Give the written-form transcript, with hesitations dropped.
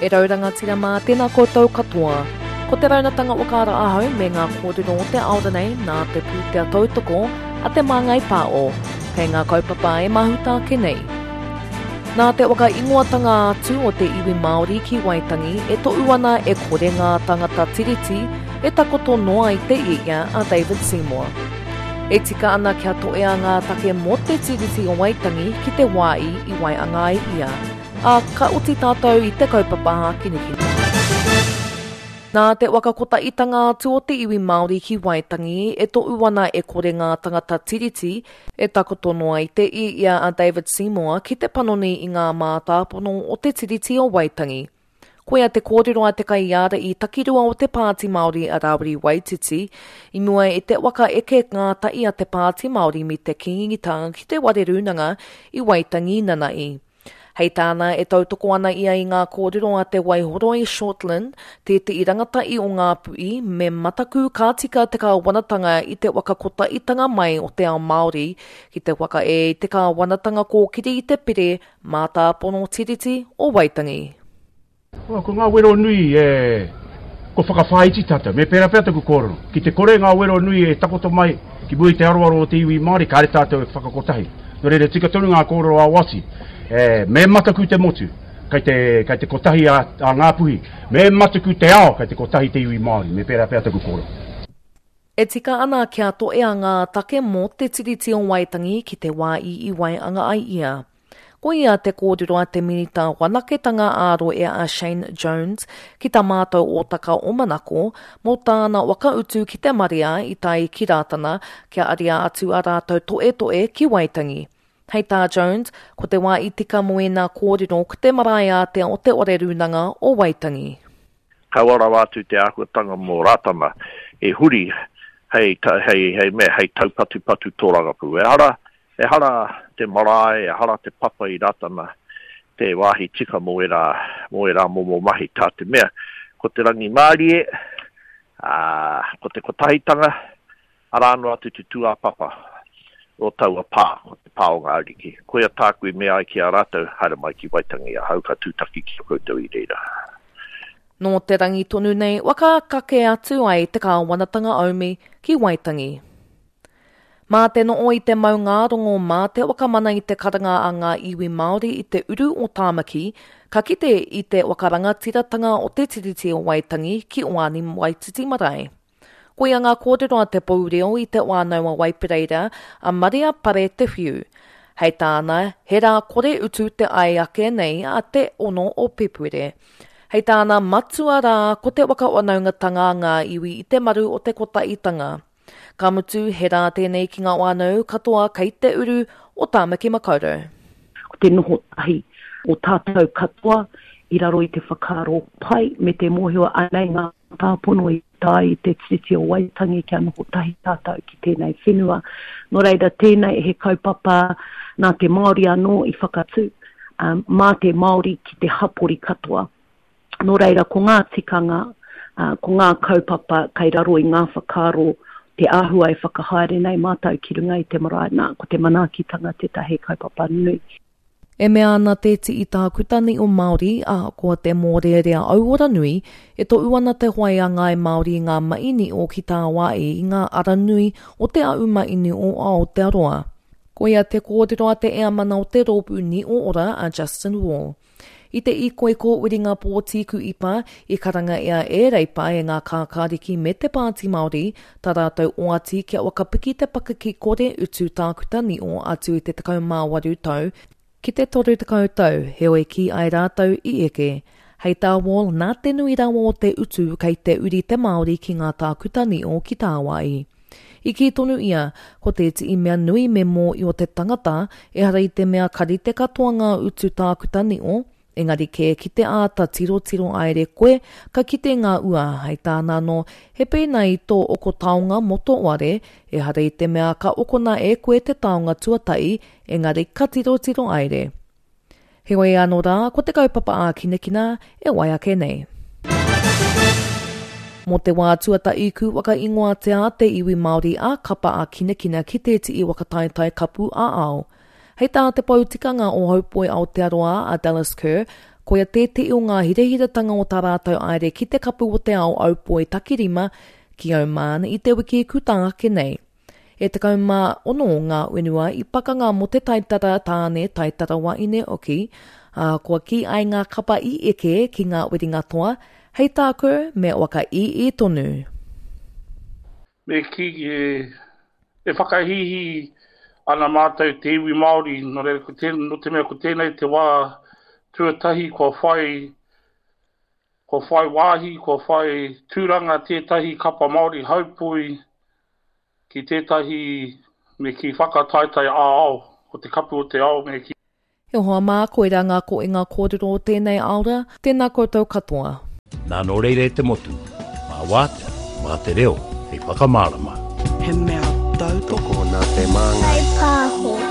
E rau rangatira mā, tēnā koutou katoa. Ko te raunatanga whakaara ahau me ngā kōrero o te ao nei nā te pūtea tautoko a Te Māngai Pāo, kei ngā kaupapa e mahuta ake nei. Nā te whakaingoatanga atu o te iwi Māori ki Waitangi e tohu ana e kore ngā tangata tiriti e takoto noa i te ia a David Seymour. E tika ana kia toea ngā take mō te Tiriti o Waitangi ki te wā i i waianga ai ia, ā, ka oti tātou i te kaupapa hākinakina. Nā te whakakotaitanga atu o te iwi Māori ki Waitangi e tohu ana e kore ngā tangata Tiriti e takoto noa i te ia a David Seymour ki te panoni i ngā mātāpono o te Tiriti o Waitangi. Koia te kōrero a te kaiārahi takirua o te Pāti Māori a Rāwiri Waititi, i mua i te waka eke ngātahi a te Pāti Māori me te Kīngitanga ki te Whare Rūnanga i Waitangi nanahi. Hei tāna, e tautoko ana ia i ngā kōrero a Te Waihoroi Shortland, tētehi rangatahi o Ngāpuhi, me mataku ka tika te kāwanatanga i te waka kotahitanga mai o te ao Māori ki te whakaē i te kāwanatanga kōkiri i te pire Mātāpono Tiriti o Waitangi. Ko ngā wero nui e, kua whakawhāiti tātou, me pērā pea taku kōrero, ki te kore ngā wero nui e takoto mai ki mua i te aroaro o te iwi Māori, kāre tātou e whakakotahi. Nō reira, tika tonu ngā kōrero a Wati, e, me mataku te motu, kei te, kei te kotahi a, a Ngāpuhi, me mataku te ao, kei te kotahi te iwi Māori, me pērā pea taku kōrero. E tika ana kia toea ngā take mō te Tiriti o Waitangi ki te wā i i waianga ai ia. Koia te kōrero a te Minita Whanaketanga ā-Rohe a Shane Jones ki tā mātou ōtaka o Manako mō tāna whakautu ki te marea i tae ki Rātana kia aria atu ā rātou toetoe ki Waitangi. Hei tā Jones, ko te wā i tika mō ēnā kōrero ko te marae ātea o Te Whare Rūnanga o Waitangi. Kaua rawa atu te āhuatanga mō Rātana e huri hei, hei, hei mea, hei taupatupatu tōrangapū. Ehara, ehara te marae, ehara te papa i Rātana te wāhi tika mō ērā, mō ērā momo mahi, tā te mea, ko te rangimārie, ā, ko te kotahitanga, Arā noa atu te tūāpapa o taua pā, ko te pā o ngā ariki. Koia tāku i mea ai ki a rātou, haere mai ki Waitangi ahau ka tūtaki ki a koutou i reira. Nō te rangi tonu nei waka kake atu ai te kāwanatanga aumi ki Waitangi. Mā te noo i te maungārongo, mā te whakamana i te karanga a ngā iwi Māori i te uru o Tāmaki, ka kite i te whakarangatiratanga o te Tiriti o Waitangi ki Oani Waititi Marae. Koia ngā kōrero a te pou reo i Te Whānau a Waipereira, a Maria Pare Te Whiu. Hei tāna, he rā kore utu te ai ake nei a te 6 o Pēpuere. Hei tāna, matua rā ko te whakawhanaungatanga a ngā iwi i te maru o te kotahitanga. Ka mutu, he rā tēnei ki ngā whānau katoa kei te uru o Tāmaki Makaurau. Ko te noho tahi o tātou katoa i raro i te whakaaro pai me te mōhio anei ngā Mātāpono i tae i te Tiriti o Waitangi kia noho tahi tātou ki tēnei whenua. Nō reira, tēnei he kaupapa nā te Māori anō i whakatū, um, mā te Māori ki te hapori katoa. Nō reira, ko ngā tikanga, uh, ko ngā kaupapa kei raro i ngā whakaaro te āhua e whakahaere nei mātou ki runga i te marae, nā, ko te manaakitanga tētahi kaupapa nui. E mea ana te tii tākuta niho Māori, ahakoa te mōrearea auora nui, e tohu ana te whai a ngāi Māori i ngā mahi niho ki tāwāhi i ngā ara nui o te ahu mahi niho o Aotearoa. Koia te kōrero a te Eamana o te Rōpū Niho Ora a Justin Wall. I te ikoiko whiringa pōti kuipa, i karanga ia e Reipa e ngā kākāriki me te Pāti Māori, tā rātou oati kia whakapiki te pakeke kore utu tākuta niho atu i te 18 tau ki te 30 tau, heoi kī ai rātou i eke. Hei tā Wall, nā te nui rawa o te utu kei te uri te Māori ki ngā tākuta niho ki tāwāhi. I kī tonu ia, ko tētehi mea nui me mōhio te tangata, ehara i te mea ka rite katoa ngā utu tākuta niho, engari kē ki te āta tirotiro aere koe, ka kite ngā ua, hei tāna anō, he pēnā i tō oko taonga mō tō ware, ehara i te mea ka okona e koe te taonga tuatahi, engari ka tirotiro aere. Heoi anō rā, ko te kaupapa ākinakina e wai ake nei. Mō te wā tuatahi ku whakaingoatia te iwi Māori a Kapa Ākinakina ki tētehi whakataetae kapu ā-ao. Hei tā te pou tikanga o Haupoi Aotearoa a Dallas Kerr, Koia tētehi o ngā hirahiratanga o tā rātou aere ki te Kapu o te Ao Aupoi Takirima ki Oman i te wiki kuta ake nei. E 16 ngā whenua i pakanga mō te taitara tāne, taitara wahine hoki, ā, kua kī ai ngā kapa i eke ki ngā whiringa toa, hei tāku me whakaīī tonu. Me kī, e whakahīhī ana mātou te iwi Māori, nō reira, ko tēnei, nō te mea ko tēnei te wā tuatahi kua whai, kua whai wāhi, kua whai tūranga tētahi kapa Māori haupoi ki tētahi me kī whakataetae ā-ao, ko te kapu o te ao me kī. E hoa mā, koirā ngā koinga kōrero o tēnei aora, tēnā koutou katoa. Nā nō reira e te motu, mā wātea, mā te reo hei whakamārama. He mea tautoko nā te Māngai. Pāho.